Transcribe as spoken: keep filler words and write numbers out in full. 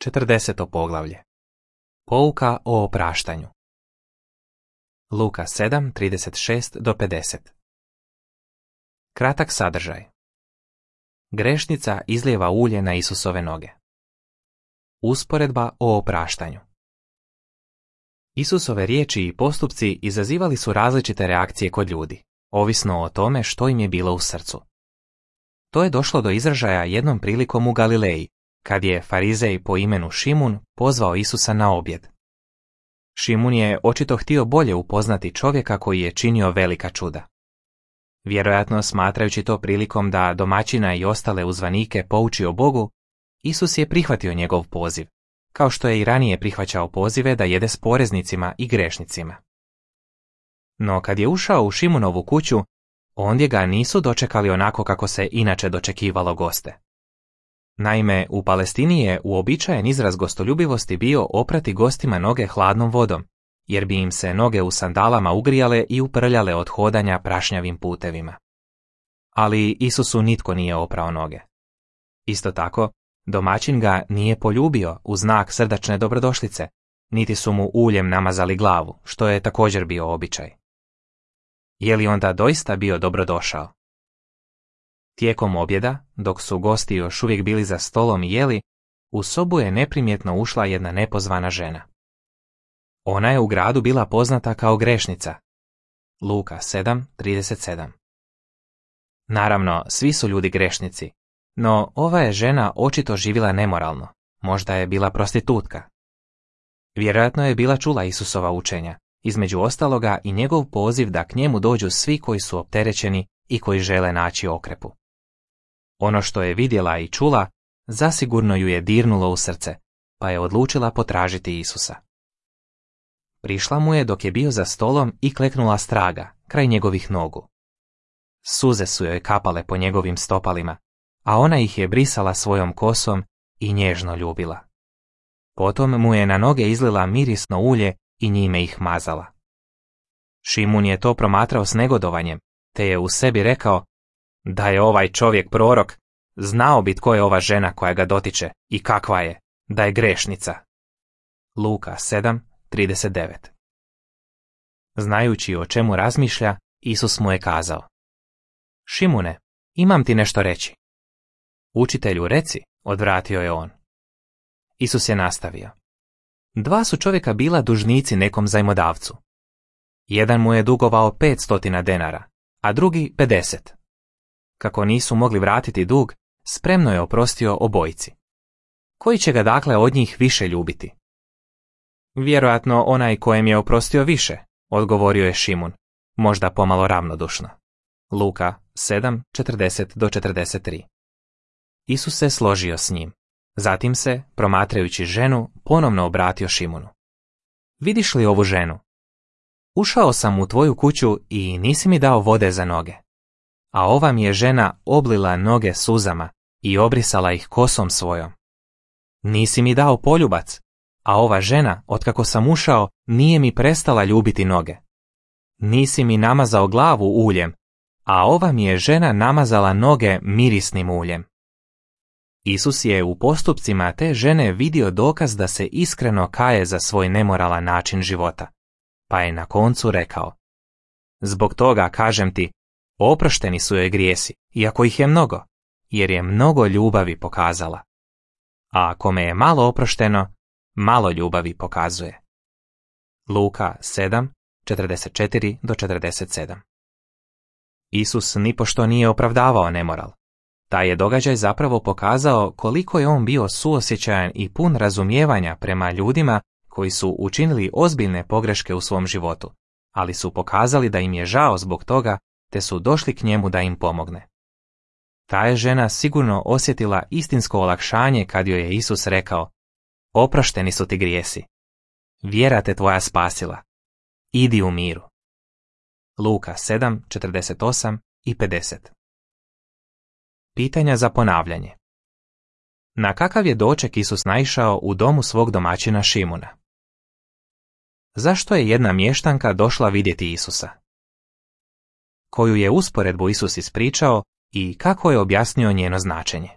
četrdeseto poglavlje. Pouka o opraštanju. Luka sedam, trideset šest do pedeset. Kratak sadržaj. Grešnica izlijeva ulje na Isusove noge. Usporedba o opraštanju. Isusove riječi i postupci izazivali su različite reakcije kod ljudi, ovisno o tome što im je bilo u srcu. To je došlo do izražaja jednom prilikom u Galileji, kad je farizej po imenu Šimun pozvao Isusa na objed. Šimun je očito htio bolje upoznati čovjeka koji je činio velika čuda. Vjerojatno smatrajući to prilikom da domaćina i ostale uzvanike pouči o Bogu, Isus je prihvatio njegov poziv, kao što je i ranije prihvaćao pozive da jede s poreznicima i grešnicima. No kad je ušao u Šimunovu kuću, ondje ga nisu dočekali onako kako se inače dočekivalo goste. Naime, u Palestini je uobičajen izraz gostoljubivosti bio oprati gostima noge hladnom vodom, jer bi im se noge u sandalama ugrijale i uprljale od hodanja prašnjavim putevima. Ali Isusu nitko nije oprao noge. Isto tako, domaćin ga nije poljubio u znak srdačne dobrodošlice, niti su mu uljem namazali glavu, što je također bio običaj. Je li onda doista bio dobrodošao? Tijekom objeda, dok su gosti još uvijek bili za stolom i jeli, u sobu je neprimjetno ušla jedna nepozvana žena. Ona je u gradu bila poznata kao grešnica. Luka sedam, trideset sedam. Naravno, svi su ljudi grešnici, no ova je žena očito živjela nemoralno, možda je bila prostitutka. Vjerojatno je bila čula Isusova učenja, između ostaloga i njegov poziv da k njemu dođu svi koji su opterećeni i koji žele naći okrepu. Ono što je vidjela i čula, zasigurno ju je dirnulo u srce, pa je odlučila potražiti Isusa. Prišla mu je dok je bio za stolom i kleknula straga, kraj njegovih nogu. Suze su joj kapale po njegovim stopalima, a ona ih je brisala svojom kosom i nježno ljubila. Potom mu je na noge izlila mirisno ulje i njime ih mazala. Šimun je to promatrao s negodovanjem, te je u sebi rekao: da je ovaj čovjek prorok, znao bi tko je ova žena koja ga dotiče i kakva je, da je grešnica. Luka sedam, trideset devet. Znajući o čemu razmišlja, Isus mu je kazao: Šimune, imam ti nešto reći. Učitelju, reci, odvratio je on. Isus je nastavio: Dva su čovjeka bila dužnici nekom zajmodavcu. Jedan mu je dugovao pet stotina denara, a drugi pedeset. Kako nisu mogli vratiti dug, spremno je oprostio obojici. Koji će ga dakle od njih više ljubiti? Vjerojatno onaj kojem je oprostio više, odgovorio je Šimun, možda pomalo ravnodušno. Luka sedam, četrdeset do četrdeset tri. Isus se složio s njim. Zatim se, promatrajući ženu, ponovno obratio Šimunu. Vidiš li ovu ženu? Ušao sam u tvoju kuću i nisi mi dao vode za noge. A ova mi je žena oblila noge suzama i obrisala ih kosom svojom. Nisi mi dao poljubac, a ova žena, otkako sam ušao, nije mi prestala ljubiti noge. Nisi mi namazao glavu uljem, a ova mi je žena namazala noge mirisnim uljem. Isus je u postupcima te žene vidio dokaz da se iskreno kaje za svoj nemoralan način života, pa je na koncu rekao: Zbog toga, kažem ti, oprošteni su joj grijesi, iako ih je mnogo, jer je mnogo ljubavi pokazala. A kome je malo oprošteno, malo ljubavi pokazuje. Luka sedam, četrdeset četiri do četrdeset sedam. Isus nipošto nije opravdavao nemoral. Taj je događaj zapravo pokazao koliko je on bio suosjećajan i pun razumijevanja prema ljudima koji su učinili ozbiljne pogreške u svom životu, ali su pokazali da im je žao zbog toga, te su došli k njemu da im pomogne. Ta je žena sigurno osjetila istinsko olakšanje kad joj je Isus rekao: Oprošteni su ti grijesi. Vjera te tvoja spasila. Idi u miru. Luka sedam, četrdeset osam i pedeset. Pitanja za ponavljanje. Na kakav je doček Isus naišao u domu svog domaćina Šimuna? Zašto je jedna mještanka došla vidjeti Isusa? Koju je usporedbu Isus ispričao i kako je objasnio njeno značenje?